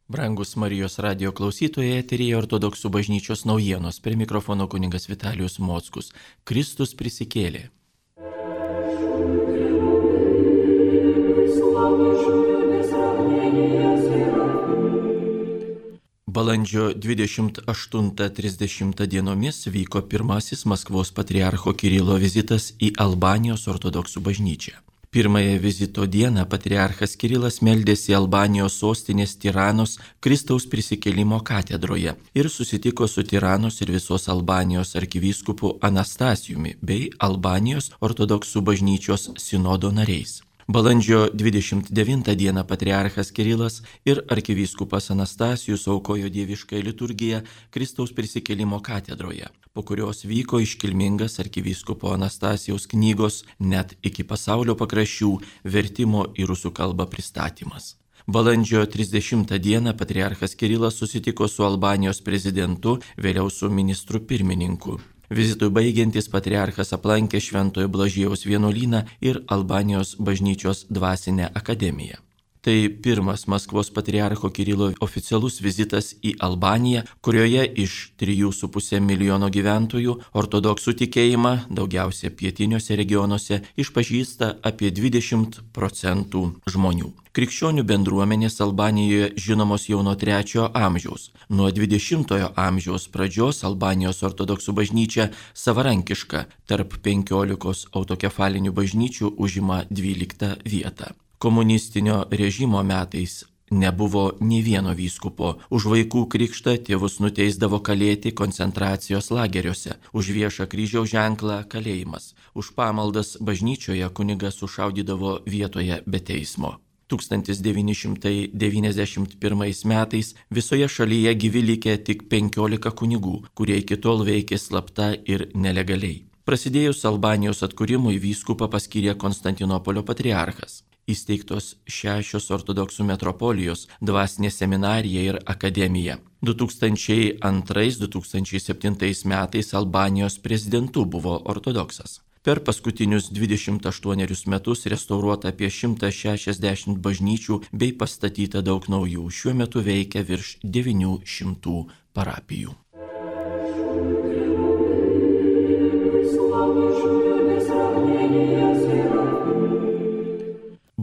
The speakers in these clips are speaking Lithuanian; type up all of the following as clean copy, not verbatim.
Brangus Marijos radio klausytojai, eteryje Ortodoksų bažnyčios naujienos. Prie mikrofono kunigas Vitalijus Mockus. Kristus prisikėlė. Balandžio 28-30 dienomis vyko pirmasis Maskvos patriarcho Kirilo vizitas į Albanijos ortodoksų bažnyčią. Pirmąją vizito dieną patriarchas Kirilas meldėsi Albanijos sostinės Tiranos Kristaus prisikėlimo katedroje ir susitiko su Tiranos ir visos Albanijos arkivyskupu Anastasijumi bei Albanijos ortodoksų bažnyčios sinodo nariais. Balandžio 29 dieną patriarchas Kirilas ir arkivyskupas Anastasijus aukojo dieviškąją liturgiją Kristaus prisikėlimo katedroje, po kurios vyko iškilmingas arkivyskupo Anastasijaus knygos Net iki pasaulio pakraščių vertimo į rusų kalbą pristatymas. Balandžio 30 dieną patriarchas Kirilas susitiko su Albanijos prezidentu, vėliau su ministru pirmininku. Vizitui baigiantis patriarchas aplankė Šventojo Blažiejaus vienuolyną ir Albanijos bažnyčios dvasinę akademiją. Tai pirmas Maskvos patriarcho Kirilo oficialus vizitas į Albaniją, kurioje iš 3,5 milijono gyventojų ortodoksų tikėjimą, daugiausia pietiniuose regionuose, išpažįsta apie 20% žmonių. Krikščionių bendruomenės Albanijoje žinomos jau nuo 3 amžiaus. Nuo 20 amžiaus pradžios Albanijos ortodoksų bažnyčia savarankiška tarp 15 autokefalinių bažnyčių užima 12 vietą. Komunistinio režimo metais nebuvo nė vieno vyskupo. Už vaikų krikštą tėvus nuteisdavo kalėti koncentracijos lageriuose, už viešą kryžiaus ženklą kalėjimas, už pamaldas bažnyčioje kunigas sušaudydavo vietoje be teismo. 1991 metais visoje šalyje gyvi likę tik 15 kunigų, kurie iki tol veikė slapta ir nelegaliai. Prasidėjus Albanijos atkūrimui vyskupą paskyrė Konstantinopolio patriarchas. Įsteigtos 6 ortodoksų metropolijos, dvasinė seminarija ir akademija. 2002-2007 metais Albanijos prezidentu buvo ortodoksas. Per paskutinius 28 metus restauruota apie 160 bažnyčių bei pastatyta daug naujų. Šiuo metu veikia virš 900 parapijų.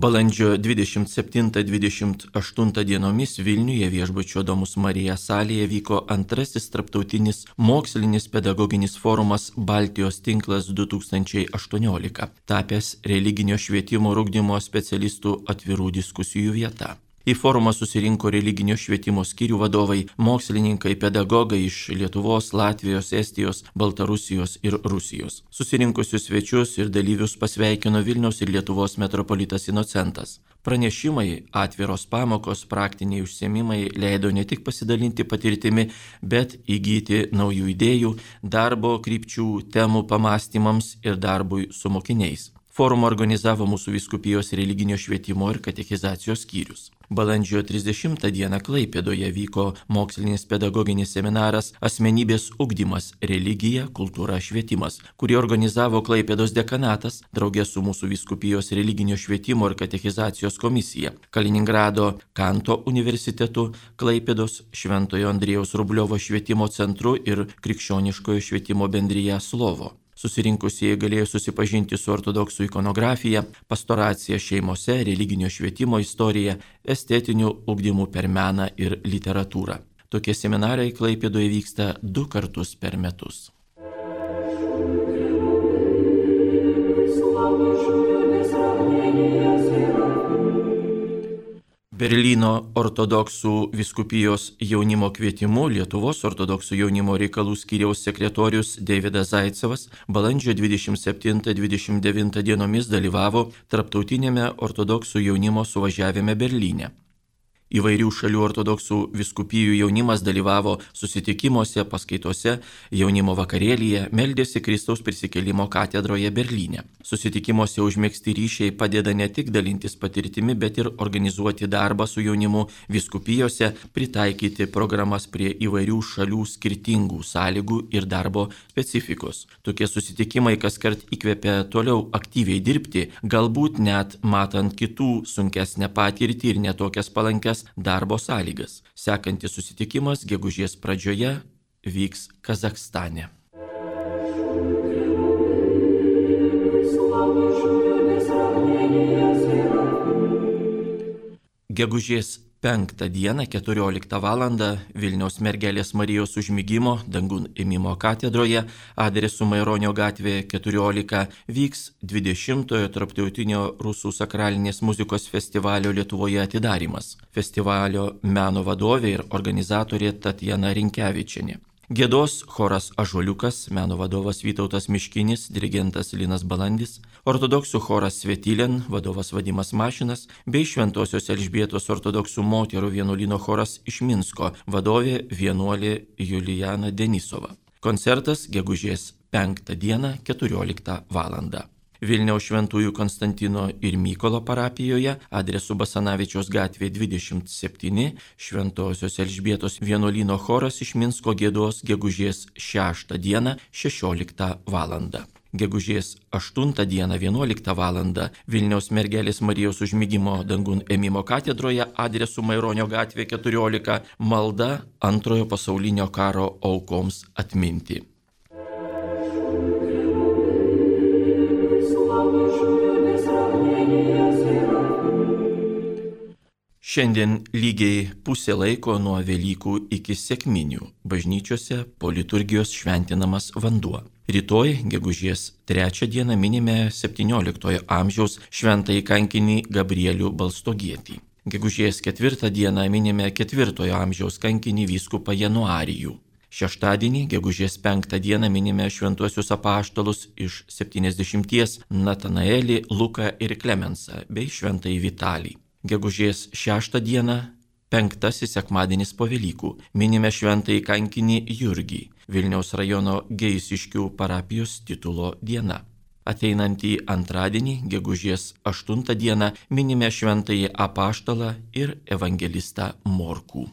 Balandžio 27-28 dienomis Vilniuje viešbučio Domus Marija salėje vyko antrasis tarptautinis mokslinis pedagoginis forumas Baltijos tinklas 2018, tapęs religinio švietimo ir ugdymo specialistų atvirų diskusijų vieta. Į forumą susirinko religinio švietimo skyrių vadovai, mokslininkai, pedagogai iš Lietuvos, Latvijos, Estijos, Baltarusijos ir Rusijos. Susirinkusius svečius ir dalyvius pasveikino Vilniaus ir Lietuvos metropolitas Inocentas. Pranešimai, atviros pamokos, praktiniai užsiėmimai leido ne tik pasidalinti patirtimi, bet įgyti naujų idėjų, darbo krypčių, temų pamastymams ir darbui su mokiniais. Forumą organizavo mūsų vyskupijos religinio švietimo ir katechizacijos skyrius. Balandžio 30 dieną Klaipėdoje vyko mokslinis pedagoginis seminaras Asmenybės ugdymas – religija, kultūra, švietimas, kurį organizavo Klaipėdos dekanatas draugė su mūsų vyskupijos religinio švietimo ir katechizacijos komisija, Kaliningrado Kanto universitetu, Klaipėdos Šventojo Andriejaus Rubliovo švietimo centru ir Krikščioniškojo švietimo bendrija Slovo. Susirinkusieji galėjo susipažinti su ortodoksų ikonografija, pastoracija šeimose, religinio švietimo istorija, estetiniu ugdymu per meną ir literatūrą. Tokie seminarai Klaipėdoje vyksta 2 kartus per metus. Berlyno ortodoksų vyskupijos jaunimo kvietimu Lietuvos ortodoksų jaunimo reikalų skyriaus sekretorius Deividas Zaicevas balandžio 27-29 dienomis dalyvavo tarptautinėme ortodoksų jaunimo suvažiavime Berlyne. Įvairių šalių ortodoksų vyskupijų jaunimas dalyvavo susitikimuose, paskaitose, jaunimo vakarėlyje, meldėsi Kristaus prisikėlimo katedroje Berlyne. Susitikimuose užmegzti ryšiai padeda ne tik dalintis patirtimi, bet ir organizuoti darbą su jaunimu vyskupijose, pritaikyti programas prie įvairių šalių skirtingų sąlygų ir darbo specifikos. Tokie susitikimai kaskart įkvepia toliau aktyviai dirbti, galbūt net matant kitų sunkesnę patirtį ir netokias palankias geresnės darbo sąlygas. Sekantis susitikimas gegužės pradžioje vyks Kazachstane. Gegužės 5 dieną 14 val. Vilniaus Mergelės Marijos užmigimo dangun ėmimo katedroje adresu Maironio gatvė 14 vyks 20-ojo Tarptautinio rusų sakralinės muzikos festivalio Lietuvoje atidarymas. Festivalio meno vadovė ir organizatorė Tatjana Rinkevičienė. Giedos choras Ąžuoliukas, meno vadovas Vytautas Miškinis, dirigentas Linas Balandis, ortodoksų choras Svetilėn, vadovas Vadimas Mašinas, bei Šventosios Elžbietos ortodoksų moterų vienuolyno choras iš Minsko, vadovė vienuolė Julijana Denisova. Koncertas gegužės 5 dieną 14 val. Vilniaus Šventųjų Konstantino ir Mykolo parapijoje adresu Basanavičiaus gatvė 27 Šventosios Elžbietos vienuolyno choras iš Minsko giedos gegužės 6 dieną 16 val. Gegužės 8 dieną 11 val. Vilniaus Mergelės Marijos užmigimo dangun ėmimo katedroje adresu Maironio gatvė 14 malda Antrojo pasaulinio karo aukoms atminti. Šiandien lygiai pusė laiko nuo Velykų iki Sekminių bažnyčiose po liturgijos šventinamas vanduo. Rytoj, gegužės 3 dieną minime 17 amžiaus šventąjį kankinį Gabrielių Balstogietį. Gegužės 4 dieną minime 4 amžiaus kankinį vyskupą Januarijų. Šeštadienį, gegužės 5 dieną minime šventuosius apaštalus iš 70 Natanaelį, Luką ir Klemensą bei šventąjį Vitalį. Gegužės 6 dieną, 5 sekmadienis po Velykų, minime šventąjį kankinį Jurgį, Vilniaus rajono Geisiškių parapijos titulo diena. Ateinantį antradienį, gegužės 8 dieną, minime šventąjį apaštalą ir evangelistą Morkų.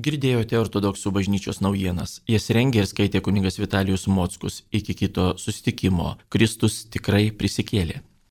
Girdėjote ortodoksų bažnyčios naujienas. Jas rengė ir skaitė kunigas Vitalijus Mockus. Iki kito susitikimo. Kristus tikrai prisikėlė.